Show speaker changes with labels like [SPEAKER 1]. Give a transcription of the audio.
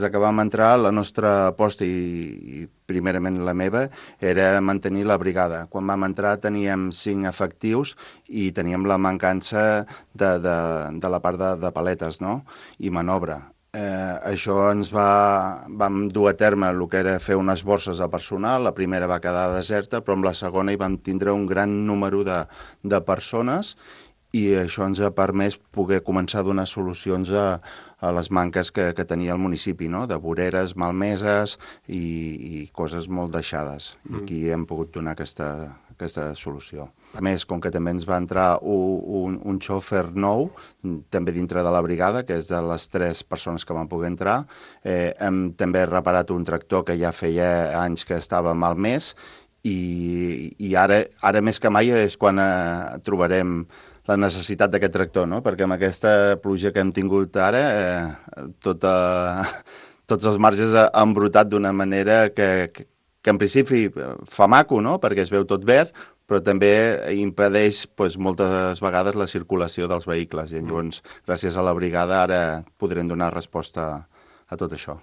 [SPEAKER 1] Des que vam entrar, la nostra aposta i primerament la meva era mantenir la brigada. Quan vam entrar teníem 5 efectius i teníem la mancança de la part de paletes, no? I manobra. Això vam dur a terme el que era fer unes borses de personal. La primera va quedar deserta, però amb la segona hi vam tindre un gran número de persones i això ens ha permès poder començar a donar solucions a les manques que tenia el municipi, no? De voreres malmeses i coses molt deixades. I aquí hem pogut donar aquesta solució. A més, com que també ens va entrar un xòfer nou, també dintre de la brigada, que és de les 3 persones que van poder entrar, hem també reparat un tractor que ja feia anys que estava malmès i ara més que mai és quan trobarem la necessitat d'aquest tractor, no? Perquè amb aquesta pluja que hem tingut ara, tots els marges han brotat d'una manera que en principi fa maco, no? Perquè es veu tot verd, però també impedeix moltes vegades la circulació dels vehicles. I llavors, gràcies a la brigada, ara podrem donar resposta a tot això.